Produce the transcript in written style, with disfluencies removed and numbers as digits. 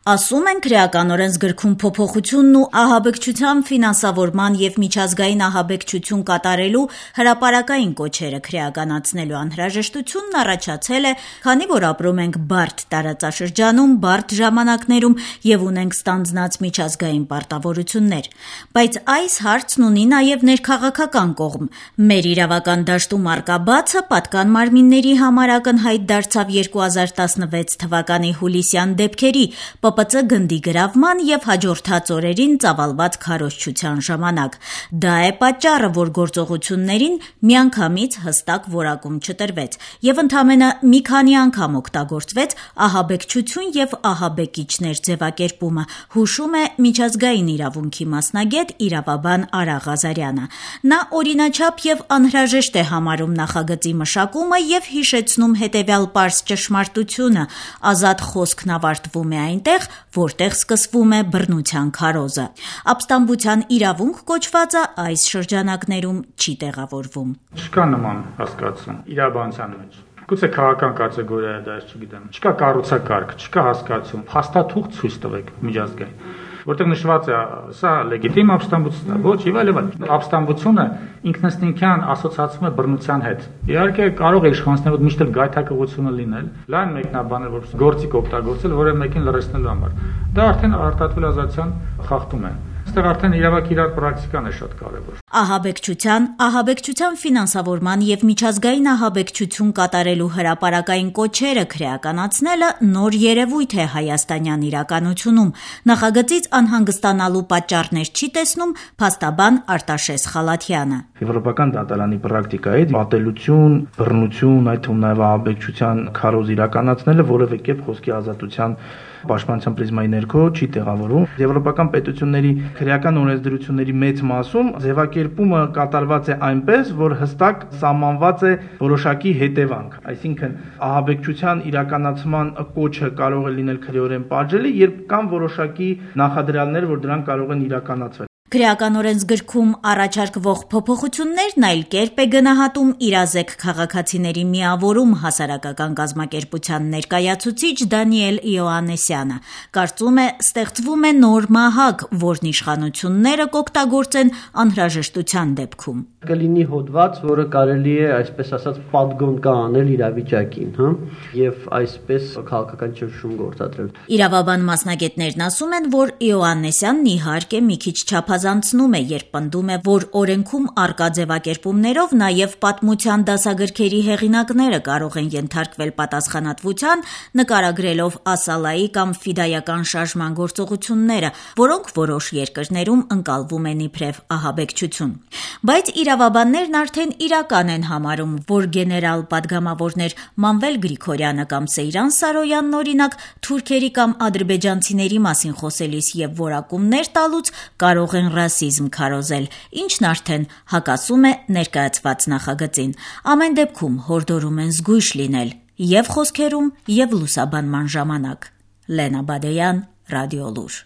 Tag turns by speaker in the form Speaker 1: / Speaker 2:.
Speaker 1: Ասում են քրեականորեն զգրքում փոփոխությունն ու ահաբեկչության ֆինանսավորման եւ միջազգային ահաբեկչություն կատարելու հրապարակային կոչերը քրեականացնելու անհրաժեշտությունն առաջացել է, քանի որ ապրում ենք բարդ տարածաշրջանում, բարդ ժամանակներում եւ ունենք ստանձնած միջազգային պարտավորություններ։ Բայց այս հարցն ունի նաեւ ներքաղաքական կողմ։ Մեր իրավական դաշտում առկա բացը պատկան մարմինների համար ակնհայտ դարձավ 2016 թվականի հուլիսյան դեպքերի ՊՊՑ գնդի գրավման եւ հաջորդած օրերին ծավալված քարոզչության ժամանակ։ Դա է պատճառը, որ գործողություններին միանգամից հստակ որակում չտրվեց եւ ընդամենը մի քանի անգամ օգտագործվեց ահաբեկչություն եւ ահաբեկիչներ ձևակերպումը, հուշում է միջազգային իրավունքի մասնագետ իրավաբան Արա Ղազարյանը։ Նա օրինաչափ եւ անհրաժեշտ է համարում նախագծի մշակումը եւ հիշեցնում հետեւյալ պարզ ճշմարտությունը՝ ազատ խոսքն ավարտվում է այնտեղ, որտեղ սկսվում է բռնության քարոզը։ Ապստամբության իրավունք կոչվածը այս շրջանակներում չի տեղավորվում։
Speaker 2: Չկա նման հասկացում իրավաբանության մեջ։ Գուցե քաղաքական կատեգորիա է դա, չգիտեմ։ Չկա կառուցակարգ, չկա հասկացում։ Փաստաթուղթ ցույց տվեք միջազգային, որտեղ նշված է սա լեգիտիմ ապստամբություն է, ոչ եւ այլ։ Ապստամբությունը ինքնըստինքյան ասոցացվում է բռնության հետ։ Իհարկե կարող է իշխանությունները միշտ էլ գայթակղությունը լինել, լայն մեկնաբանել, որ գործիք օգտագործել որևէ մեկին լրացնելու համար։ Դա արդեն արտադրվել ազատության խախտում է։ Այստեղ արդեն իրավական իրար պրակտիկան է շատ կարևոր։
Speaker 1: Ահաբեկչության ֆինանսավորման եւ միջազգային ահաբեկչություն կատարելու հրապարակային կոչերը քրեականացնելը նոր երևույթ է հայաստանյան իրականությունում։ Նախագծից անհանգստանալու պատճառներ չի տեսնում փաստաբան Արտաշես Խալաթյանը։
Speaker 3: Եվրոպական դատարանի պրակտիկայից ատելություն, բռնություն, այդ թվում նաեւ ահաբեկչության քարոզ իրականացնելը որևէ կերպ խոսքի ազատության պաշտպանության պրիզմայի ներքո չի տեղավորվում։ Եվրոպական պետությունների քրեական օրենսդրությունների մեծ մասում ձևակերպումը կատարված է այնպես, որ հստակ սահմանված է որոշակի հետևանք։ Այսինքն ահաբեկչության իրականացման կոչը կարող է լինել քրեորեն պատժելի, երբ կան որոշակի նախադրյալներ, որ դրանք կարող են իրականացվել։
Speaker 1: Քրեականորեն զգրքում առաջարկվող փոփոխություններն այլ կերպ է գնահատում իրազեկ քաղաքացիների միավորում հասարակական կազմակերպության ներկայացուցիչ Դանիել Իոաննեսյանը։ Կարծում է, ստեղծվում է նոր մահակ, որն իշխանությունները կօգտագործեն անհրաժեշտության դեպքում։
Speaker 4: Կլինի հոդված, որը կարելի է, այսպես ասած, պատգոն կանել իրավիճակին, եւ այսպես քաղաքական ճնշում գործադրել։
Speaker 1: Իրավաբան մասնագետներն ասում են, որ Իոաննեսյանն իհարկե մի քիչ չափազանցնում է, երբ պնդում է, որ օրենքում առկա ձևակերպումներով նաև պատմության դասագրքերի հեղինակները կարող են ենթարկվել պատասխանատվության, նկարագրելով Ասալայի կամ ֆիդայական շարժման գործողությունները, որոնք որոշ երկրներում ընկալվում են իբրև ահաբեկչություն։ Բայց իրավաբաններն արդեն իրական են համարում, որ գեներալ պատգամավորներ Մանվել Գրիգորյանը կամ Սեյրան Սարոյանն օրինակ թուրքերի կամ ադրբեջանցիների մասին խոսելիս եւ որակումներ տալուց կարող են ռասիզմ քարոզել, ինչն արդեն հակասում է ներկայացված նախագծին։ Ամեն դեպքում հորդորում են զգույշ լինել եւ խոսքերում եւ լուսաբանման ժամանակ։ Լենա Բադեյան, Ռադիոլուր։